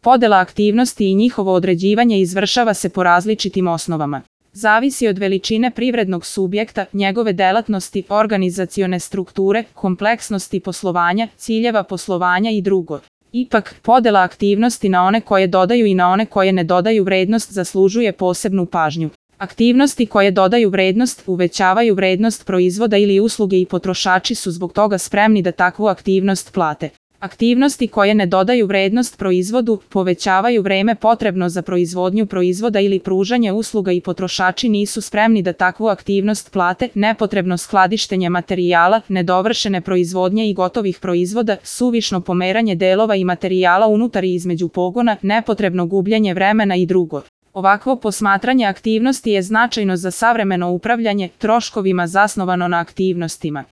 Podela aktivnosti i njihovo određivanje izvršava se po različitim osnovama. Zavisi od veličine privrednog subjekta, njegove delatnosti, organizacione strukture, kompleksnosti poslovanja, ciljeva poslovanja i drugo. Ipak, podela aktivnosti na one koje dodaju i na one koje ne dodaju vrednost zaslužuje posebnu pažnju. Aktivnosti koje dodaju vrednost, uvećavaju vrednost proizvoda ili usluge i potrošači su zbog toga spremni da takvu aktivnost plate. Aktivnosti koje ne dodaju vrednost proizvodu, povećavaju vreme potrebno za proizvodnju proizvoda ili pružanje usluga i potrošači nisu spremni da takvu aktivnost plate, nepotrebno skladištenje materijala, nedovršene proizvodnje i gotovih proizvoda, suvišno pomeranje delova i materijala unutar i između pogona, nepotrebno gubljenje vremena i drugo. Ovakvo posmatranje aktivnosti je značajno za savremeno upravljanje troškovima zasnovano na aktivnostima.